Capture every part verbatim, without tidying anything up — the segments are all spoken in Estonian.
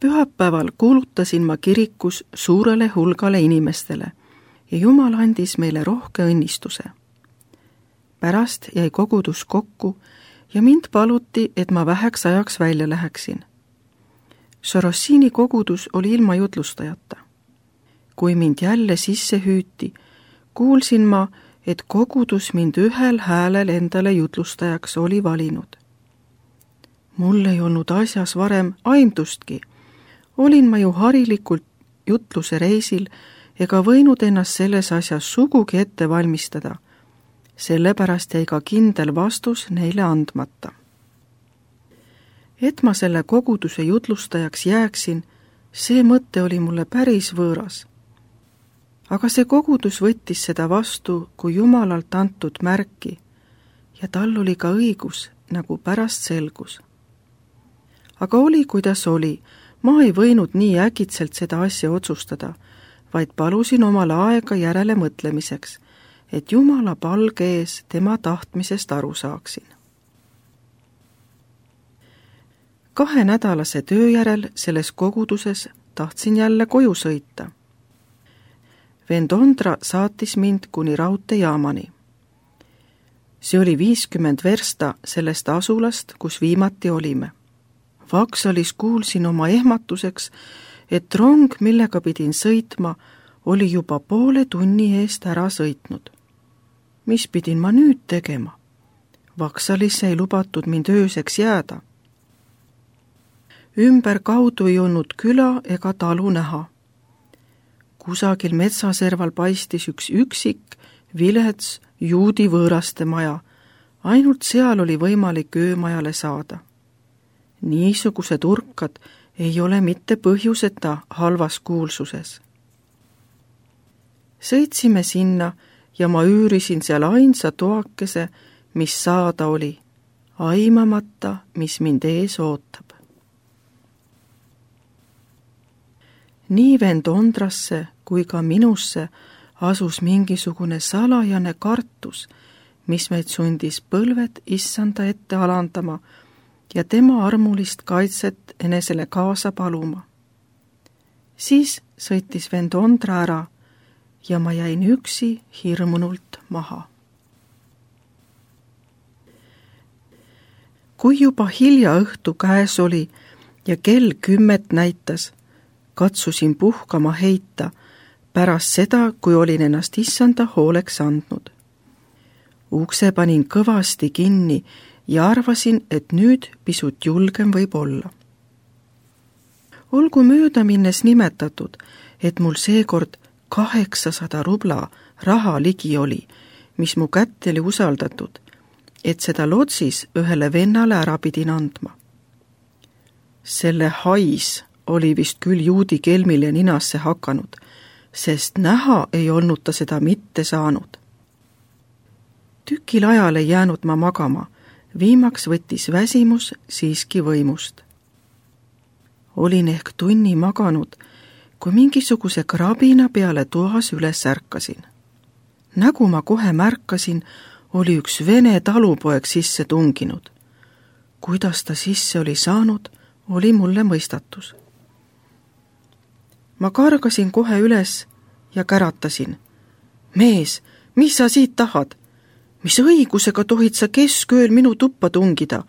Pühapäeval kuulutasin ma kirikus suurele hulgale inimestele ja Jumal andis meile rohke õnnistuse. Pärast jäi kogudus kokku ja mind paluti, et ma väheks ajaks välja läheksin. Sorossini kogudus oli ilma jutlustajata. Kui mind jälle sisse hüüti, kuulsin ma, et kogudus mind ühel häälel endale jutlustajaks oli valinud. Mul ei olnud asjas varem aimdustki. Olin ma ju harilikult jutluse reisil ega võinud ennast selles asjas sugugi ette valmistada. Sellepärast jäi ka kindel vastus neile andmata. Et ma selle koguduse jutlustajaks jääksin, see mõte oli mulle päris võõras. Aga see kogudus võttis seda vastu kui Jumalalt antud märki ja tal oli ka õigus, nagu pärast selgus. Aga oli, kuidas oli, ma ei võinud nii äkitselt seda asja otsustada, vaid palusin omale aega järele mõtlemiseks, et Jumala palge ees tema tahtmisest aru saaksin. Kahe nädalase töö järel selles koguduses tahtsin jälle koju sõita. Vend Ondra saatis mind kuni raudteejaamani. See oli viiskümmend versta sellest asulast, kus viimati olime. Vaksalis kuulsin oma ehmatuseks, et rong, millega pidin sõitma, oli juba poole tunni eest ära sõitnud. Mis pidin ma nüüd tegema? Vaksalisse ei lubatud mind ööseks jääda. Ümber kaudu ei olnud küla ega talu näha. Kusagil metsaserval paistis üks üksik, vilets, juudi võõraste maja. Ainult seal oli võimalik öömajale saada. Niisugused urkad ei ole mitte põhjuseta halvas kuulsuses. Sõitsime sinna ja ma üürisin seal ainsa toakese, mis saada oli, aimamata, mis mind ees ootab. Nii vend Ondrasse kui ka minusse asus mingisugune salajane kartus, mis meid sundis põlved issanda ette alandama ja tema armulist kaitset enesele kaasa paluma. Siis sõitis vend Ondra ära ja ma jäin üksi hirmunult maha. Kui juba hilja õhtu käes oli ja kell kümmet näitas, katsusin puhkama heita pärast seda, kui olin ennast issanda hooleks andnud. Ukse panin kõvasti kinni ja arvasin, et nüüd pisut julgem võib olla. Olgu mööda minnes nimetatud, et mul seekord kaheksasada rubla raha ligi oli, mis mu kätte oli usaldatud, et seda lotsis ühele vennale ära pidin andma. Selle hais oli vist küll juudi kelmile ninasse hakanud, sest näha ei olnud ta seda mitte saanud. Tükil ajal ei jäänud ma magama, viimaks võttis väsimus siiski võimust. Olin ehk tunni maganud, kui mingisuguse krabina peale toas üles ärkasin. Nagu ma kohe märkasin, oli üks vene talupoeg sisse tunginud. Kuidas ta sisse oli saanud, oli mulle mõistatus. Ma kargasin kohe üles ja käratasin. Mees, mis sa siit tahad? Mis õigusega tohid sa keskööl minu tuppa tungida?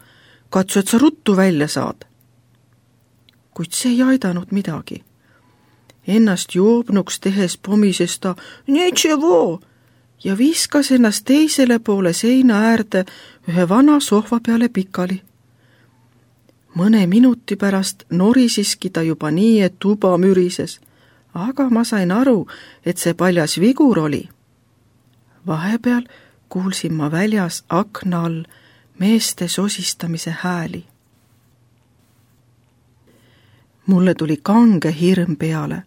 Katsu, et sa ruttu välja saad. Kuid see ei aidanud midagi. Ennast joobnuks tehes pomises ta Nečevo ja viskas ennast teisele poole seina äärde ühe vana sohva peale pikali. Mõne minuti pärast norisiski ta juba nii, et tuba mürises, aga ma sain aru, et see paljas vigur oli. Vahepeal kuulsin ma väljas akna all meeste sosistamise hääli. Mulle tuli kange hirm peale,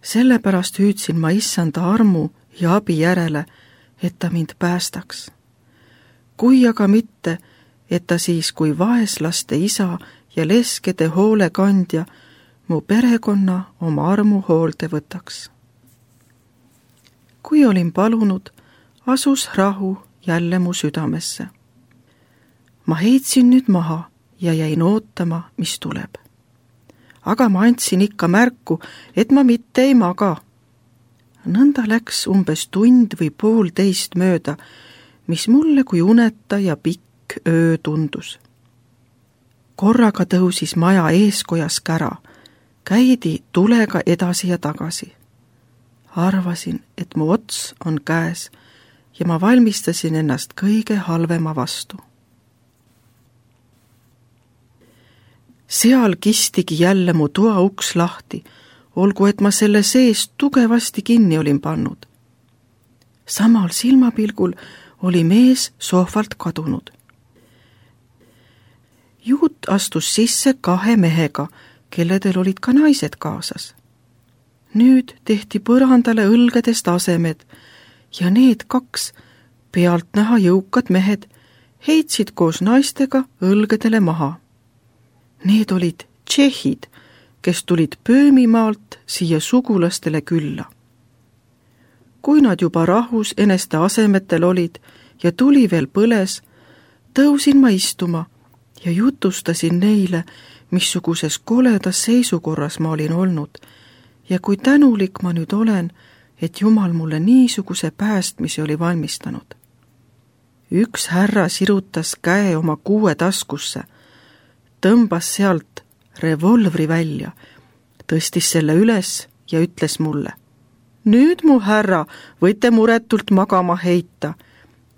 sellepärast hüüdsin ma issanda armu ja abi järele, et ta mind päästaks. Kui aga mitte, et ta siis kui vaeslaste isa ja leskede hoolekandja mu perekonna oma armu hoolde võtaks. Kui olin palunud, asus rahu jälle mu südamesse. Ma heitsin nüüd maha ja jäin ootama, mis tuleb. aga ma andsin ikka märku, et ma mitte ei maga. Nõnda läks umbes tund või poolteist mööda, mis mulle kui uneta ja pikk öö tundus. Korraga tõusis maja eeskojas kära, käidi tulega edasi ja tagasi. Arvasin, et mu ots on käes ja ma valmistasin ennast kõige halvema vastu. Seal kistigi jälle mu toa uks lahti, olgu et ma selle sees tugevasti kinni olin pannud. Samal silmapilgul oli mees sohvalt kadunud. Juut astus sisse kahe mehega, kelledel olid ka naised kaasas. Nüüd tehti põrandale õlgedest asemed ja need kaks pealtnäha jõukad mehed heitsid koos naistega õlgedele maha. Need olid tšehhid, kes tulid Pöömimaalt siia sugulastele külla. Kui nad juba rahus eneste asemetel olid ja tuli veel põles, tõusin ma istuma ja jutustasin neile, missuguses koledas seisukorras ma olin olnud ja kui tänulik ma nüüd olen, et Jumal mulle niisuguse päästmise oli valmistanud. Üks härra sirutas käe oma kuue taskusse, tõmbas sealt revolvri välja, tõstis selle üles ja ütles mulle: nüüd, mu härra, võite muretult magama heita.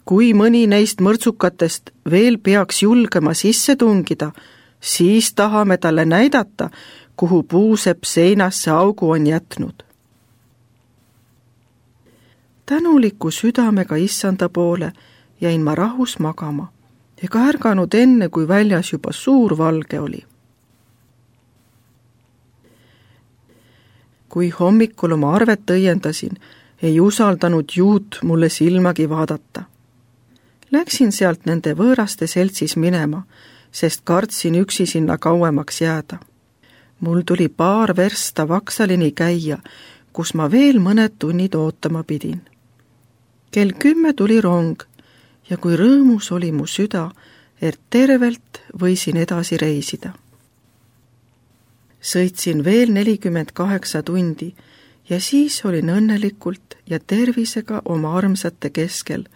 Kui mõni neist mõrtsukatest veel peaks julgema sisse tungida, siis tahame talle näidata, kuhu puusepp seinasse augu on jätnud. Tänuliku südamega issanda poole jäin ma rahus magama ega ärganud enne, kui väljas juba suur valge oli. Kui hommikul oma arvet õiendasin, ei usaldanud Juut mulle silmagi vaadata. Läksin sealt nende võõraste seltsis minema, sest kartsin üksi sinna kauemaks jääda. Mul tuli paar versta Vaksalini käia, kus ma veel mõned tunnid ootama pidin. Kell kümme tuli rong ja kui rõõmus oli mu süda, et tervelt võisin edasi reisida. Sõitsin veel nelikümmend kaheksa tundi ja siis olin õnnelikult ja tervisega oma armsate keskel,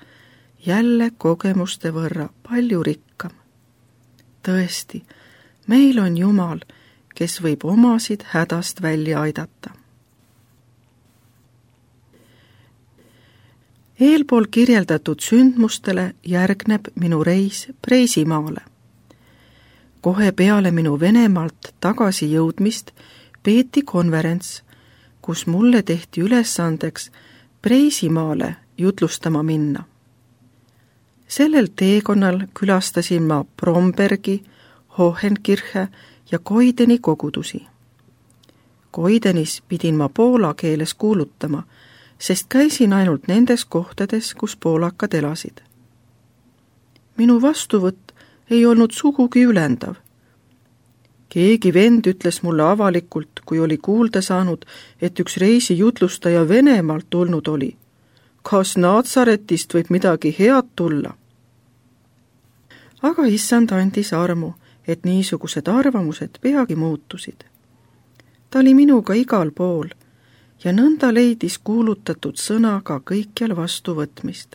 jälle kogemuste võrra palju rikkam. Tõesti, meil on Jumal, kes võib omasid hädast välja aidata. Eelpool kirjeldatud sündmustele järgneb minu reis Preisimaale. Kohe peale minu Venemaalt tagasi jõudmist peeti konverents, kus mulle tehti ülesandeks Preisimaale jutlustama minna. Sellel teekonnal külastasin ma Brombergi, Hohenkirche ja Koideni kogudusi. Koidenis pidin ma poola keeles kuulutama, sest käisin ainult nendes kohtades, kus poolakad elasid. Minu vastuvõtt ei olnud sugugi ülendav. Keegi vend ütles mulle avalikult, kui oli kuulda saanud, et üks reisi jutlustaja Venemaalt tulnud oli. Kas Natsaretist võib midagi head tulla? Aga issand andis armu, et niisugused arvamused peagi muutusid. Ta oli minuga igal pool ja nõnda leidis kuulutatud sõnaga kõikjal vastuvõtmist.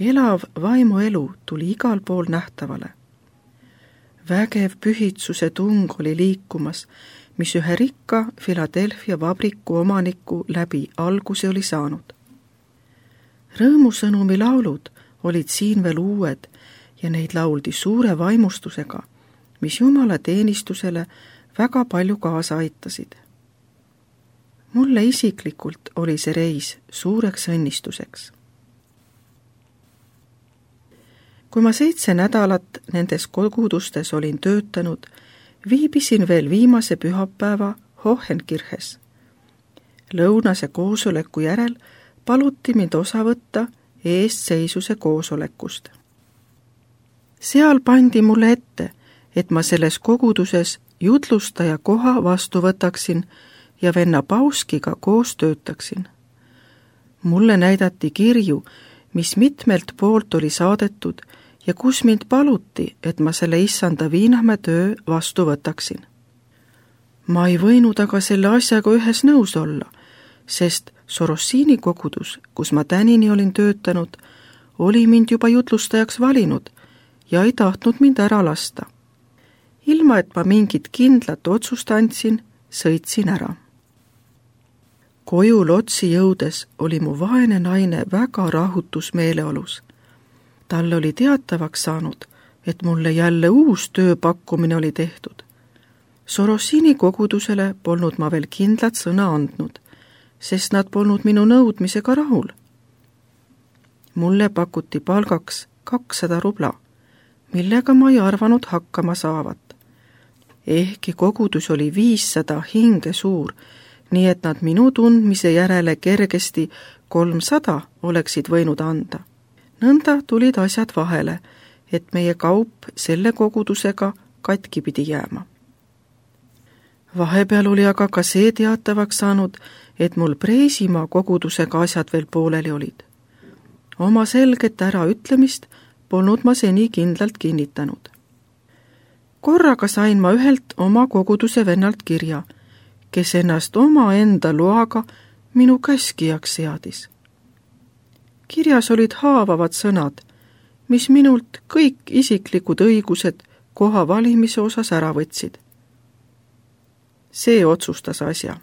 Elav vaimuelu tuli igal pool nähtavale. Vägev pühitsuse tung oli liikumas, mis ühe rikka Philadelphia vabriku omaniku läbi alguse oli saanud. Rõõmusõnumi laulud olid siin veel uued ja neid lauldi suure vaimustusega, mis Jumala teenistusele väga palju kaasa aitasid. Mulle isiklikult oli see reis suureks õnnistuseks. Kui ma seitse nädalat nendes kogudustes olin töötanud, viibisin veel viimase pühapäeva Hohenkirches. Lõunase koosoleku järel paluti mind osa võtta eestseisuse koosolekust. Seal pandi mulle ette, et ma selles koguduses jutlustaja koha vastu võtaksin ja venna Pauskiga koos töötaksin. Mulle näidati kirju, mis mitmelt poolt oli saadetud ja kus mind paluti, et ma selle issanda Viinamäe töö vastu võtaksin. Ma ei võinud aga selle asjaga ühes nõus olla, sest Sorossini kogudus, kus ma tänini olin töötanud, oli mind juba jutlustajaks valinud ja ei tahtnud mind ära lasta. Ilma, et ma mingit kindlat otsust andsin, sõitsin ära. Koju Lotsi jõudes oli mu vaene naine väga rahutus meeleolus. Talle oli teatavaks saanud, et mulle jälle uus tööpakkumine oli tehtud. Sorossini kogudusele polnud ma veel kindlat sõna andnud, sest nad polnud minu nõudmisega rahul. Mulle pakuti palgaks kakssada rubla, millega ma ei arvanud hakkama saavat. Ehkki kogudus oli viissada hinge suur, nii et nad minu tundmise järele kergesti kolmsada oleksid võinud anda. Nõnda tulid asjad vahele, et meie kaup selle kogudusega katki pidi jääma. Vahepeal oli aga ka see teatavaks saanud, et mul Preisimaa kogudusega asjad veel pooleli olid. Oma selget äraütlemist polnud ma seni kindlalt kinnitanud. Korraga sain ma ühelt oma koguduse vennalt kirja, kes ennast oma enda loaga minu käskijaks seadis. Kirjas olid haavavad sõnad, mis minult kõik isiklikud õigused koha valimise osas ära võtsid. See otsustas asja.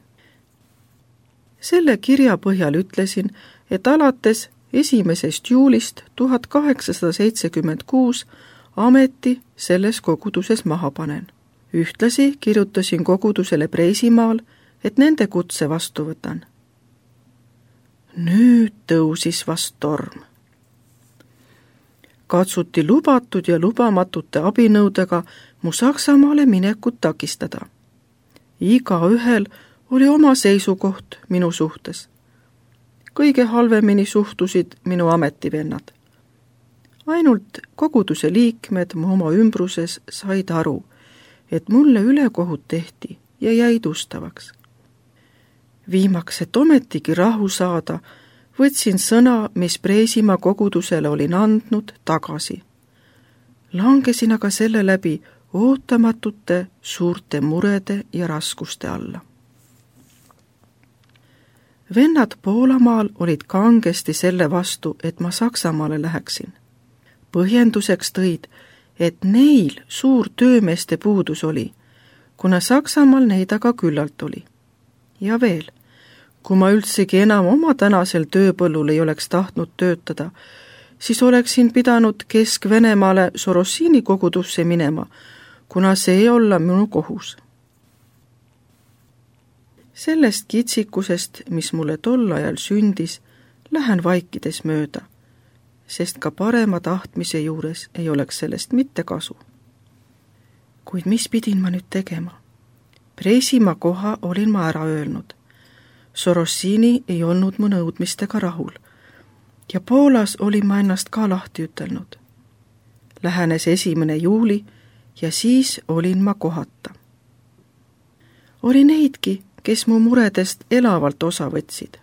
Selle kirja põhjal ütlesin, et alates esimesest juulist tuhat kaheksasada seitsekümmend kuus ameti selles koguduses maha panen. Ühtlasi kirjutasin kogudusele Preisimaal, et nende kutse vastu võtan. Nüüd tõusis vast torm. Katsuti lubatud ja lubamatute abinõudega mu Saksamaale minekut takistada. Iga ühel oli oma seisukoht minu suhtes. Kõige halvemini suhtusid minu ametivennad. Ainult koguduse liikmed mu oma ümbruses said aru, et mulle ülekohut tehti ja jäid ustavaks. Viimaks, et ometigi rahu saada, võtsin sõna, mis Preisimaa kogudusele olin andnud, tagasi. Langesin aga selle läbi ootamatute suurte murede ja raskuste alla. Vennad Poolamaal olid kangesti selle vastu, et ma Saksamaale läheksin. Põhjenduseks tõid, et neil suur töömeeste puudus oli, kuna Saksamaal neid aga küllalt oli. Ja veel, kui ma üldsegi enam oma tänasel tööpõllul ei oleks tahtnud töötada, siis oleksin pidanud Kesk-Venemaale Sorossini kogudusse minema, kuna see ei olla minu kohus. Sellest kitsikusest, mis mulle tol ajal sündis, lähen vaikides mööda, sest ka parema tahtmise juures ei oleks sellest mitte kasu. Kuid mis pidin ma nüüd tegema? Preisimaa koha olin ma ära öelnud. Sorossini ei olnud mu nõudmistega rahul ja Poolas olin ma ennast ka lahti ütelnud. Lähenes esimene juuli ja siis olin ma kohata. Oli neidki, kes mu muredest elavalt osa võtsid.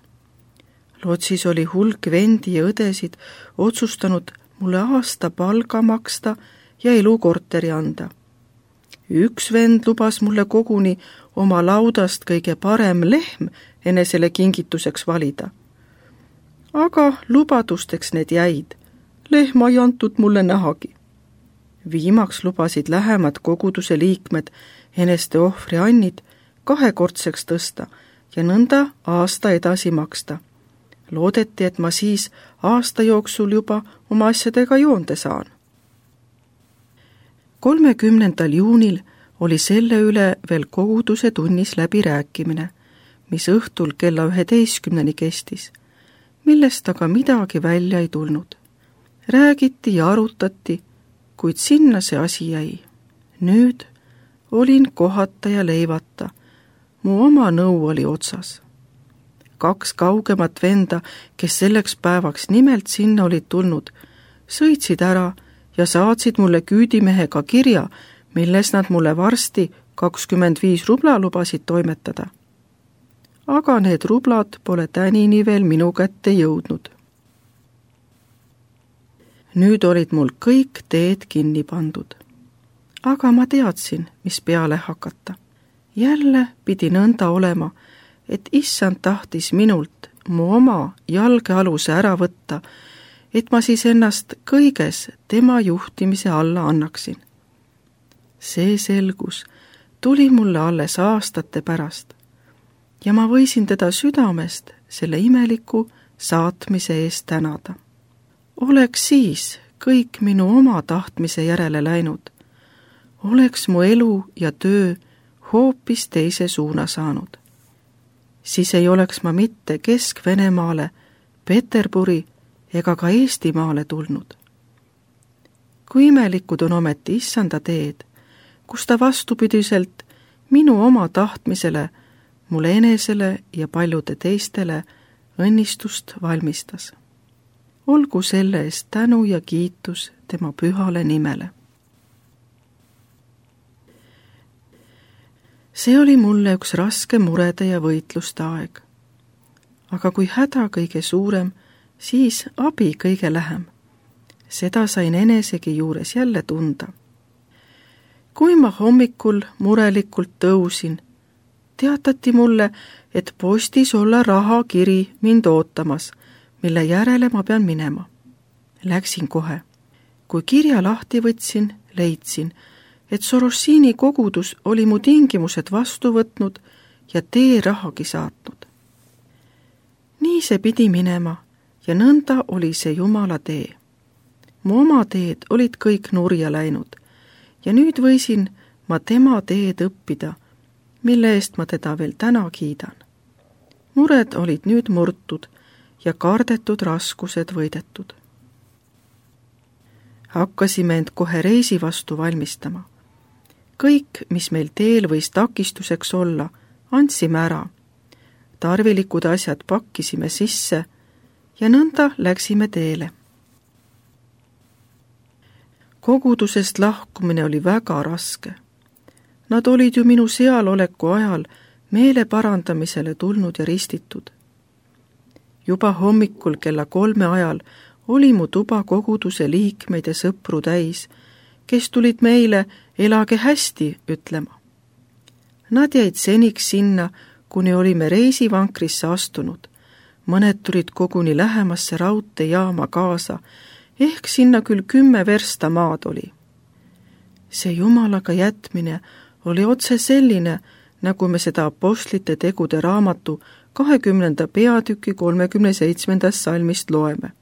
Lotsis oli hulk vendi ja õdesid otsustanud mulle aasta palga maksta ja elukorteri anda. Üks vend lubas mulle koguni oma laudast kõige parem lehm enesele kingituseks valida. Aga lubadusteks need jäid. Lehma ei antud mulle nähagi. Viimaks lubasid lähemad koguduse liikmed eneste ohvri annid kahekordseks tõsta ja nõnda aasta edasi maksta. Loodeti, et ma siis aasta jooksul juba oma asjadega joonde saan. kolmekümnendal juunil oli selle üle veel koguduse tunnis läbi rääkimine, mis õhtul kella üheteistkümneni kestis, millest aga midagi välja ei tulnud. Räägiti ja arutati, kuid sinna see asi jäi. Nüüd olin kohata ja leivata. Mu oma nõu oli otsas. Kaks kaugemat venda, kes selleks päevaks nimelt sinna olid tulnud, sõitsid ära ja saatsid mulle küüdimehega kirja, milles nad mulle varsti kakskümmend viis rubla lubasid toimetada. Aga need rublad pole tänini veel minu kätte jõudnud. Nüüd olid mul kõik teed kinni pandud. Aga ma teadsin, mis peale hakata. jälle pidi nõnda olema, et issand tahtis minult mu oma jalgealuse ära võtta, et ma siis ennast kõiges tema juhtimise alla annaksin. See selgus tuli mulle alles aastate pärast ja ma võisin teda südamest selle imeliku saatmise eest tänada. Oleks siis kõik minu oma tahtmise järele läinud, oleks mu elu ja töö hoopis teise suuna saanud. Siis ei oleks ma mitte Kesk-Venemaale, Peterburi ega ka Eestimaale tulnud. Kui imelikud on ometi issanda teed, kus ta vastupidiselt minu oma tahtmisele, mulle enesele ja paljude teistele õnnistust valmistas. Olgu selle eest tänu ja kiitus tema pühale nimele. See oli mulle üks raske murede ja võitluste aeg. Aga kui häda kõige suurem, siis abi kõige lähem. Seda sain enesegi juures jälle tunda. Kui ma hommikul murelikult tõusin, teatati mulle, et postis olla rahakiri mind ootamas, mille järele ma pean minema. Läksin kohe. Kui kirja lahti võtsin, leidsin, et Sorossini kogudus oli mu tingimused vastu võtnud ja tee rahagi saatnud. Nii see pidi minema ja nõnda oli see Jumala tee. Mu oma teed olid kõik nurja läinud ja nüüd võisin ma tema teed õppida, mille eest ma teda veel täna kiidan. Mured olid nüüd murtud ja kardetud raskused võidetud. Hakkasime end kohe reisi vastu valmistama. Kõik, mis meil teel võis takistuseks olla, andsime ära. Tarvilikud asjad pakkisime sisse ja nõnda läksime teele. Kogudusest lahkumine oli väga raske. Nad olid ju minu sealoleku ajal meele parandamisele tulnud ja ristitud. Juba hommikul kella kolme ajal oli mu tuba koguduse liikmeid ja sõpru täis, kes tulid meile elage hästi ütlema. Nad jäid seniks sinna, kuni olime reisivankrisse astunud. Mõned tulid koguni lähemasse raudteejaama kaasa, ehk sinna küll kümme versta maad oli. See Jumalaga jätmine oli otse selline, nagu me seda apostlite tegude raamatu kahekümnenda peatüki kolmekümne seitsmendast salmist loeme.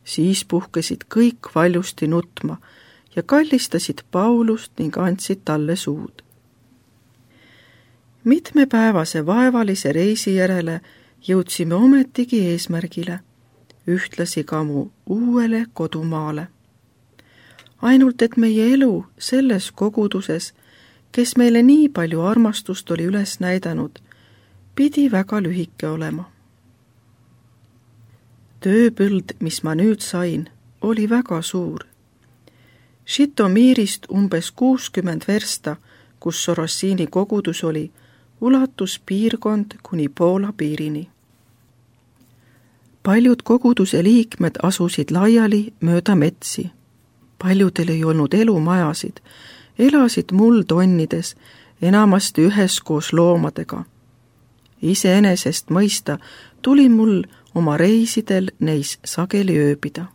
Siis puhkesid kõik valjusti nutma ja kallistasid Paulust ning andsid talle suud. Mitmepäevase vaevalise reisi järele jõudsime ometigi eesmärgile, ühtlasi ka mu uuele kodumaale. Ainult et meie elu selles koguduses, kes meile nii palju armastust oli üles näidanud, pidi väga lühike olema. Tööpõld, mis ma nüüd sain, oli väga suur. Žitomirist umbes kuuskümmend versta, kus Sorossini kogudus oli, ulatus piirkond kuni Poola piirini. Paljud koguduse liikmed asusid laiali mööda metsi. Paljudel ei olnud elumajasid, elasid muldonnides, enamasti üheskoos loomadega. Iseenesest mõista tuli mul oma reisidel neis sageli ööbida.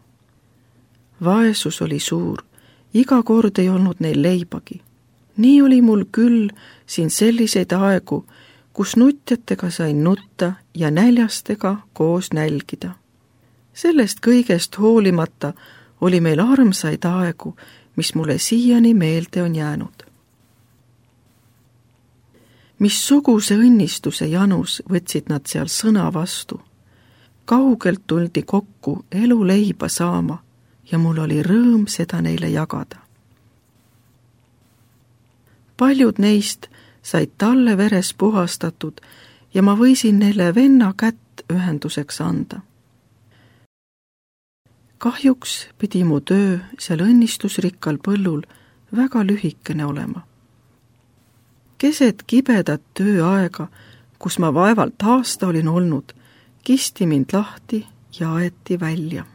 Vaesus oli suur, iga kord ei olnud neil leibagi. Nii oli mul küll siin selliseid aegu, kus nutjatega sain nutta ja näljastega koos nälgida. Sellest kõigest hoolimata oli meil armsaid aegu, mis mulle siiani meelde on jäänud. Missuguse õnnistuse janus võtsid nad seal sõna vastu. Kaugelt tuldi kokku elu leiba saama ja mul oli rõõm seda neile jagada. Paljud neist said talle veres puhastatud ja ma võisin neile venna kätt ühenduseks anda. Kahjuks pidi mu töö seal õnnistusrikkal põllul väga lühikene olema. Keset kibedat tööaega, kus ma vaevalt aasta olin olnud, kisti mind lahti ja aeti välja.